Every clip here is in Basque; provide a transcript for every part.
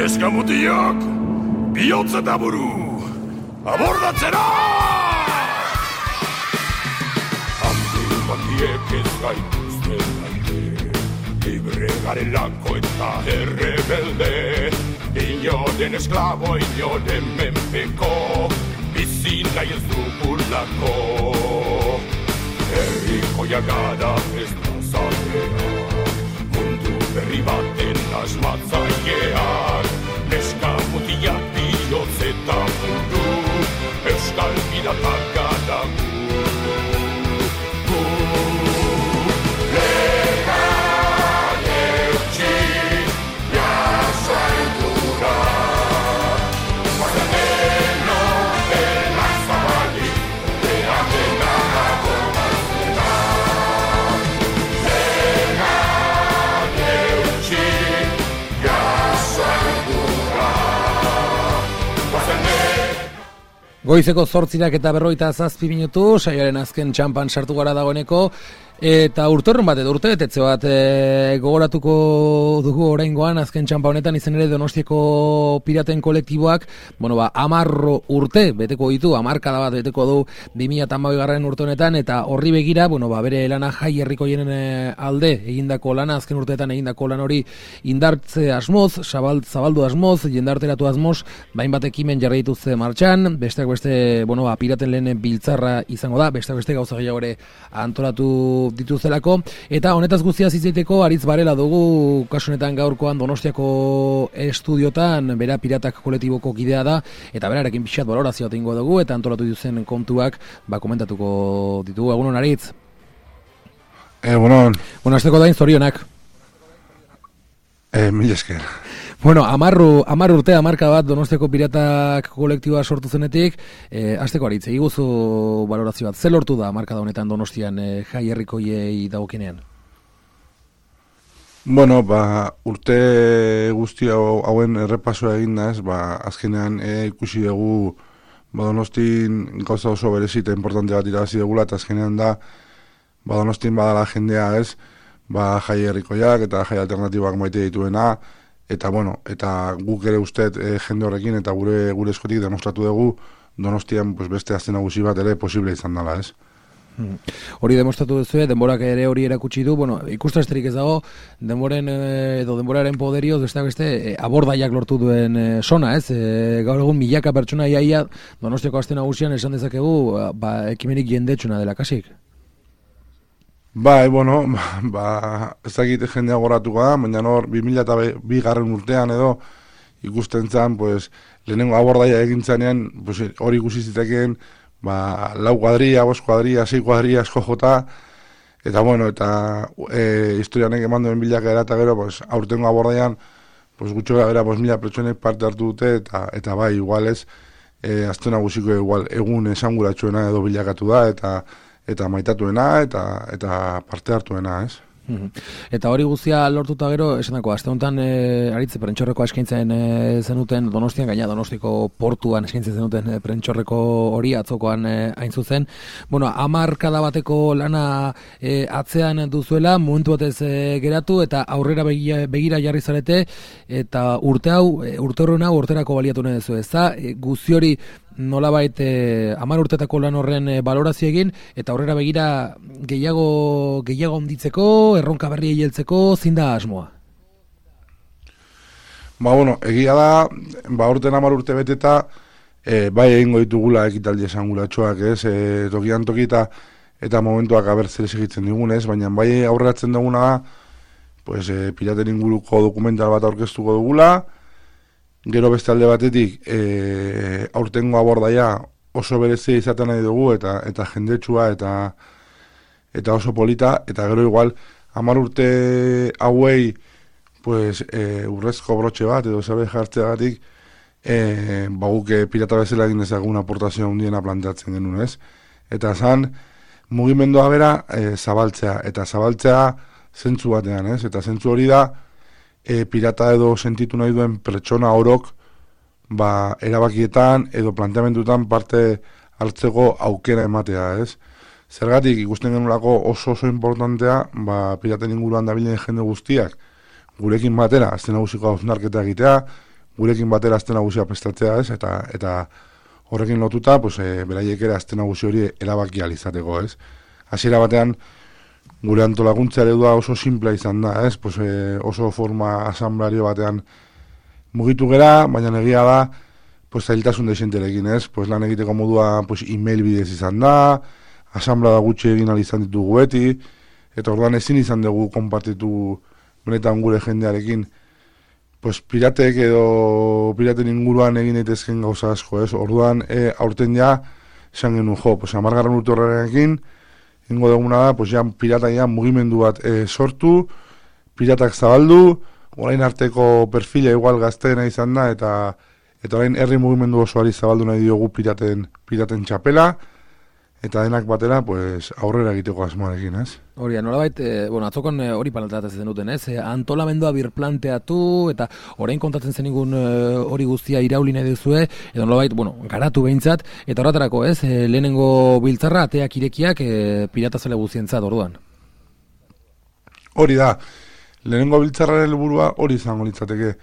Neskamutiak, bihotz eta buru, abordatzera! Handiek ez gaituzte gaite, libre garelako eta errebelde, inoren esklabo, inoren menpeko, bizi nahi ez dugulako. Herrikoia gara ez da zatea, mundu berri baten asmatzaileak, neskamutiak bihotz eta buru, euskal piratak gara gu. Goizeko 8:47 minutu, saioaren azken txampan sartu gara dagoeneko, eta urtorren bat edo urtebetetze bat gogoratuko dugu oraingoan azken txampa honetan, izen ere Donostiako piraten kolektiboak, 10 urte beteko ditu, 10 bat beteko du 2012 urte honetan, eta horri begira, bere lana jai herrikoienen alde egindako lana, azken urteetan egindako lan hori indartze asmoz, zabaldu asmoz, jendarteratu asmoz, bainbat ekimen jarri dituzte martxan, besteak beste, piraten lehen biltzarra izango da, besteak beste gauza gehiago ere antolatu dituzelako, eta honetaz guztiaz izateko Aritz Barela dugu, kasu honetan gaurkoan Donostiako estudiotan, bera piratak kolektiboko kidea da, eta berarekin pixat balorazioa egingo dugu, eta antolatu dituzen kontuak komentatuko ditugu. Egunon, Aritz? Egunon. Hasteko dain zorionak. Mila esker. 10 urte, 10 bat Donostiako piratak kolektiboa sortu zenetik, hasteko Aritz, egiguzu balorazio bat, ze lortu da 10 da honetan Donostian jai herrikoiei dagokenean? Urte guzti hauen errepasoa egin da, azkenean ikusi dugu Donostin gauza oso berezita importante bat irabazi dugula, eta azkenean da Donostin badala jendea jai herrikoiak eta jai alternatibak maite dituena, eta guk ere uste jende horrekin eta gure eskotik demostratu dugu Donostian beste aste nagusi bat ere posible izan dela, ez? Hori demostratu duzu, denborak ere hori erakutsi du, ikustasterik ez dago, denboraren poderioz, beste abordaiak lortu duen sona, ez? Gaur egun milaka pertsona iaia Donostiako aste nagusian esan dezakegu, ekimenik jendetsuna dela kasik. Ez dakit jendea goratuko da, baina 2002 urtean edo ikusten zen, lehenengo abordaia egin zanean, hori ikusi zitekeen, 4 kuadria, 5 kuadria, 6 kuadria asko jota, eta historianek eman duen bilakaera eta gero, aurtengo abordaian, gutxo gara, 1000 pertsonek parte hartu dute, eta igual ez, azte nagusiko egun esanguratsuena edo bilakatu da, eta maitatuena, eta parte hartuena, ez? Eta hori guztia lortuta gero, esanako, aste honetan Aritz prentxorreko eskaintzen zenuten Donostian, gaina Donostiko portuan eskaintzen zenuten prentxorreko hori atzokoan hain zuzen. 10 bateko lana atzean duzuela, momentu batez geratu, eta aurrera begira jarri zarete, eta urte horren hau urterako baliatu nahi duzu, ez da? Guzti hori nolabait 10 urtetako lan horren balorazio egin, eta aurrera begira gehiago onditzeko, erronka berri heltzeko, zein da asmoa? Egia da, urten 10 urte beteta, egingo ditugula ekitaldi esanguratsuak, ez? Tokian toki eta momentuak zer segitzen digun, ez? Baina aurreratzen duguna da, piraten inguruko dokumental bat aurkeztuko dugula, gero beste alde batetik, aurtengo abordaia oso berezia izaten nahi dugu, eta jendetsua, eta oso polita, eta gero igual, 10 urte hauei, urrezko brotxe bat, edo zabe jartzeagatik, guk pirata bezala egin dezagun aportazio handiena planteatzen genuen, ez? Eta zan, mugimendua bera, zabaltzea, eta zabaltzea zentzu batean, ez? Eta zentzu hori da, pirata edo sentitu nahi duen pertsona orok erabakietan edo planteamendutan parte hartzeko aukera ematea, ez? Zergatik ikusten genulako oso importantea piraten inguruan dabilen jende guztiak gurekin batera, azten nagusiko hausnarketa egitea, gurekin batera aste nagusia prestatzea, ez? Eta horrekin lotuta, pues, beraiek ere aste nagusi hori erabaki ahal izateko, ez? Hasiera batean, gure antolakuntza eredua oso simplea izan da, ez? Pues, oso forma asamblario batean mugitu gera, baina egia da, pues, zailtasun desenterekin, ez? Pues, lan egiteko modua, pues, email bidez izan da, asamblea gutxi egin ahal izan ditugu beti, eta orduan ezin izan dugu konpartitu benetan gure jendearekin, pues, piratek edo piraten inguruan egin daitezken gauza asko, ez? Orduan, aurten ja, esan genuen pues, 10. urte horrekin, ingo duguna da, pues, ja, pirata ja mugimendu bat sortu, piratak zabaldu, orain arteko perfila igual gazteena izan da, eta orain herri mugimendu osoari zabaldu nahi diogu piraten txapela, eta denak batera, pues, aurrera egiteko asmoarekin, ez? Hori, nolabait, atzokon hori palantatzen duten, ez? Antolamendua birplanteatu, eta orain kontatzen zenigun hori guztia irauli nahi duzue, edo nolabait, garatu behintzat, eta horretarako, ez? Lehenengo biltzarra, ateak irekiak, piratazale guztientzat, orduan. Hori da, lehenengo biltzarraren helburua hori izango litzateke.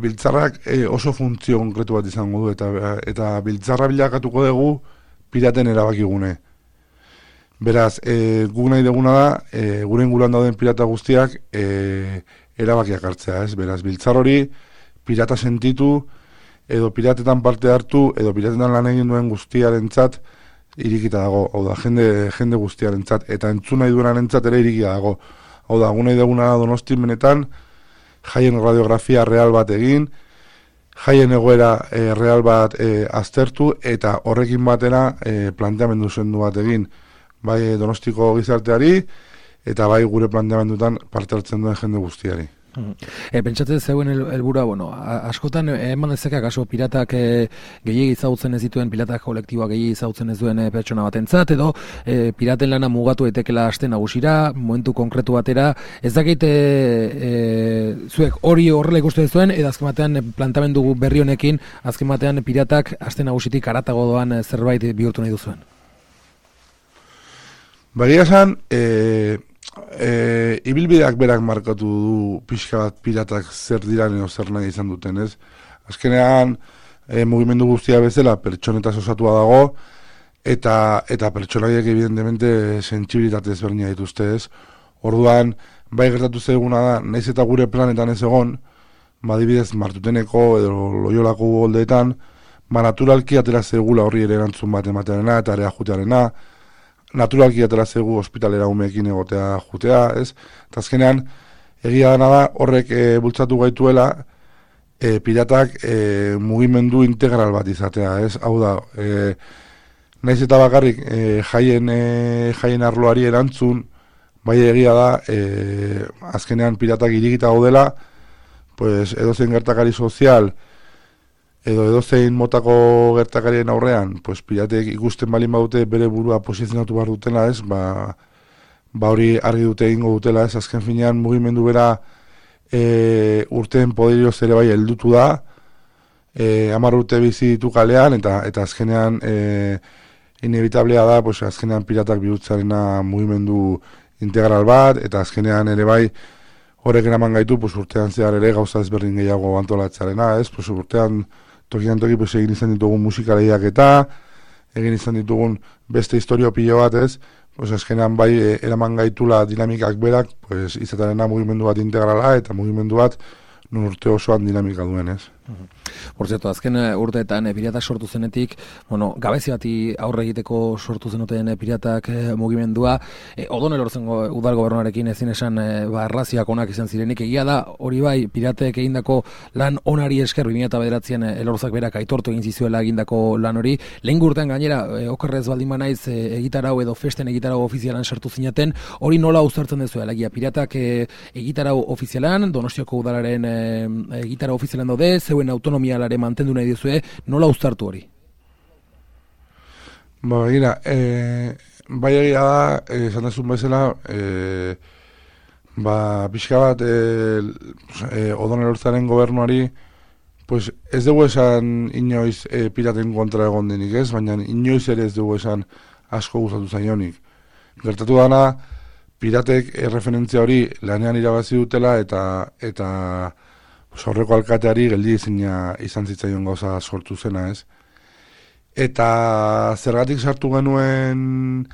Biltzarrak oso funtzio konkretu bat izango du, eta biltzarra bilakatuko dugu piraten erabakigune. Beraz, guk nahi duguna da, gure inguruan dauden pirata guztiak erabakiak hartzea, ez? Beraz, biltzar hori, pirata sentitu, edo piratetan parte hartu, edo piratetan lan egin duen guztiarentzat irikita dago. Hau da, jende guztiarentzat, eta entzun nahi duenarentzat ere irikita dago. Hau da, guk nahi duguna da Donostin benetan, jaien radiografia real bat egin, jaien egoera real bat aztertu, eta horrekin batera planteamendu zendu bat egin, bai Donostiko gizarteari, eta bai gure planteamendutan parte hartzen duen jende guztiari. Pentsatzen zeuen helburua, askotan eman dezake akaso piratak gehiegi ezagutzen ez dituen, piratak kolektiboak gehiegi ezagutzen ez duen pertsona batentzat, edo piraten lana mugatu etekela aste nagusira, momentu konkretu batera, ez dakit zuek hori horrela ikusten zuen, edo azken batean plantamendu berri honekin, azken batean piratak aste nagusitik haratago doan zerbait bihurtu nahi duzuen. Bagia esan, ibilbideak berak markatu du pixka bat piratak zer diran edo zer nahi izan duten, ez? Azkenean, mugimendu guztia bezala pertsonetaz osatua dago, eta pertsonaiek evidentemente sentsibilitate ezberdina dituzte, ez? Orduan, bai gertatu zaiguna da, naiz eta gure planetan ez egon, adibidez Martuteneko edo Loiolako goldeetan, naturalki atera zegula horri ere erantzun bat ematearena eta ere ajutearena, naturalki atera zegu ospitalera umeekin egotea jutea, ez? Eta azkenean, egia dena da, horrek bultzatu gaituela, piratak mugimendu integral bat izatea, ez? Hau da, naiz eta bakarrik jaien arloari erantzun, bai egia da, azkenean piratak irikita gaudela, pues, edozein gertakari sozial, edo edozein motako gertakarien aurrean, pues, piratek ikusten balin badute bere burua posizionatu behar dutela, ez? Ba hori argi dute egingo dutela, ez? Azken finean mugimendu bera urteen poderioz ere bai heldutu da, 10 urte bizi ditu kalean, eta azkenean inevitablea da, pues, azkenean piratak bihurtzarena mugimendu integral bat, eta azkenean ere bai horrek eraman gaitu, pues, urtean zehar ere gauza ezberdin gehiago antolatzarena, ez? Pues, urtean tokian toki, pues, egin izan ditugun musikaleiak eta egin izan ditugun beste historio pilo bat, ez? Pues, azkenean bai eraman gaitula dinamikak berak, pues, izatarena mugimendu bat integrala eta mugimendu bat nun urte osoan dinamika duen, ez? Por cierto, azken urteetan piratak sortu zenetik, gabezi bati aurre egiteko sortu zenuten piratak mugimendua, Odon Elorzengo udal gobernuarekin ezin esan erlazioak onak izan zirenik, egia da, hori bai, piratek egindako lan onari esker 2009an Elorzak berak aitortu egin zizuela egindako lan hori, lehen urtean gainera, okerrez baldin banaiz egitarau edo festen egitarau ofizialan sartu zinaten, hori nola uztartzen dezu, alegia, piratak egitarau ofizialan, Donostiako udalaren egitarau ofizialan daude, zeuen autonomialare mantendu nahi dizue, nola uztartu hori? Begira, bai egia da, esan dezun bezala, pixka bat Odon Elorzaren gobernuari, pues ez dugu esan inoiz piraten kontra egon denik, ez? Baina inoiz ere ez dugu esan asko gustatu zaionik. Gertatu dana, piratek referentzia hori lanean irabazi dutela eta aurreko alkateari geldi izan zitzaion gauza sortu zena, ez? Eta zergatik sartu genuen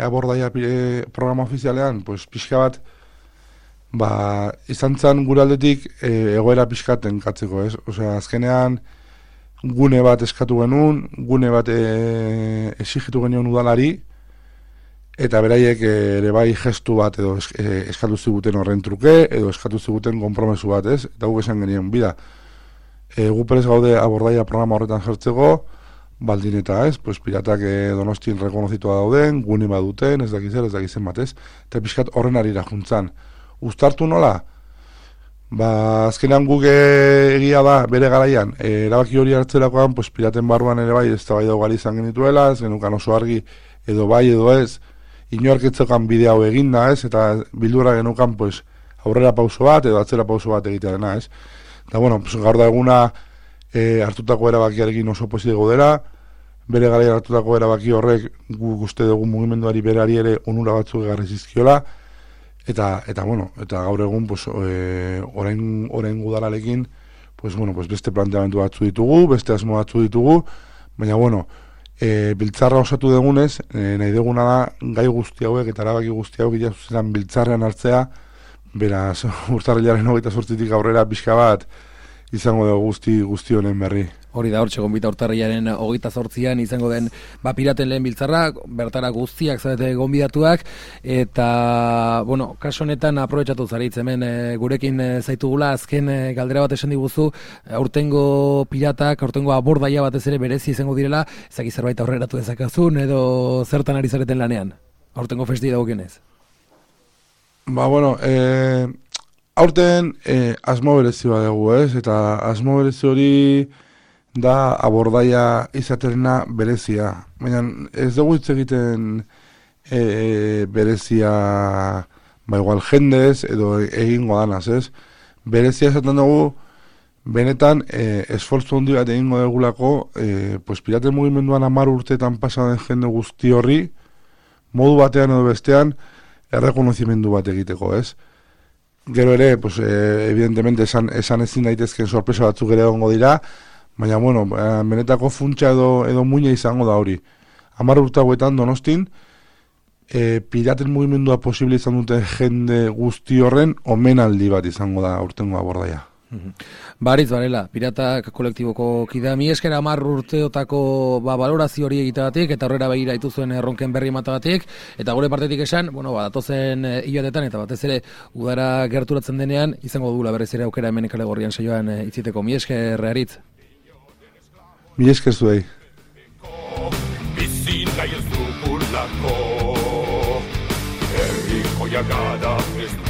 abordaia programa ofizialean, pues pixka bat, izan zen gure aldetik egoera pixkaten katzeko, ez? Osea, azkenean gune bat eskatu genuen, gune bat exigitu genion udalari, eta beraiek ere bai gestu bat edo eskatu ziguten horren truke, edo eskatu ziguten konpromesu bat, ez? Eta guk esan genien, bida, gu perez gaude abordaia programa horretan jartzeko, baldin eta ez, pues piratak Donostin rekonozitua dauden, gune bat duten, ez dakizen bat, ez? Eta pixkat horren arira juntzan. Uztartu nola? Azkenean guk egia da, bere garaian, erabaki hori hartzerakoan, pues piraten barruan ere bai, ez da bai daugali izan genituela, ez genukan oso argi, edo bai edo ez, inorketzekan bide hau eginda, ez, eta bildura genukan, pues, aurrera pauso bat, edo atzera pauso bat egitearena, ez. Eta, bueno, pues, gaur da eguna hartutako erabakiarekin oso positibo dela, bere garaian hartutako erabaki horrek guk uste dugu mugimenduari berari ere onura batzuk egarri zizkiola, eta bueno, eta gaur egun, pues, orain gudalalekin, pues, bueno, pues, beste planteamendu batzu ditugu, beste asmo batzu ditugu, baina, bueno, biltzarra osatu dugunez, nahi duguna da, gai guzti hauek eta erabaki guzti hauek itazuzetan biltzarrean hartzea, beraz, urtarrilaren 28tik aurrera pixka bat, izango dugu guzti honen berri. Hori da, hortxe gonbita urtarrilaren 28an izango den piraten lehen biltzarra, bertara guztiak zarete gonbidatuak, eta, bueno, kaso honetan aprobetxatu zaritz, hemen gurekin zaitugula, azken galdera bat esan diguzu, aurtengo piratak, aurtengo abordaia batez ere berezi izango direla, ezaki zerbait aurreratu dezakazun, edo zertan ari zareten lanean, aurtengo festi dagokienez. Bueno, aurten asmo berezi bat dugu, ez? Eta asmo berezi hori da abordaia izaterena berezia. Baina ez dugu hitz egiten berezia igual jendez edo egingo danaz, ez? Berezia esaten dugu benetan esfortzu handi bat egingo dugulako pues piraten mugimenduan 10 urteetan pasa den jende guzti horri modu batean edo bestean errekonozimendu bat egiteko, ez? Gero ere, pues, evidentemente esan ezin daitezken sorpresa batzuk ere egongo dira, baina, bueno, benetako funtsa edo muina izango da hori. 10 urte hauetan Donostin, piraten mugimendua posible izan dute jende guzti horren omenaldi bat izango da aurtengo abordaia. Baritz barela, piratak kolektiboko kidea, mi esker 10 urteotako balorazio hori egiteagatik eta horrera begira dituzuen erronken berri ematagatik, eta gure partetik esan, bueno, datozen hilabetetan eta batez ere udara gerturatzen denean, izango dugula berriz ere aukera hemen Kalegorrian saioan itziteko. Mi esker, Aritz. Mi esker zuei. Bizi nahi ez dugulako, herriko jagada ez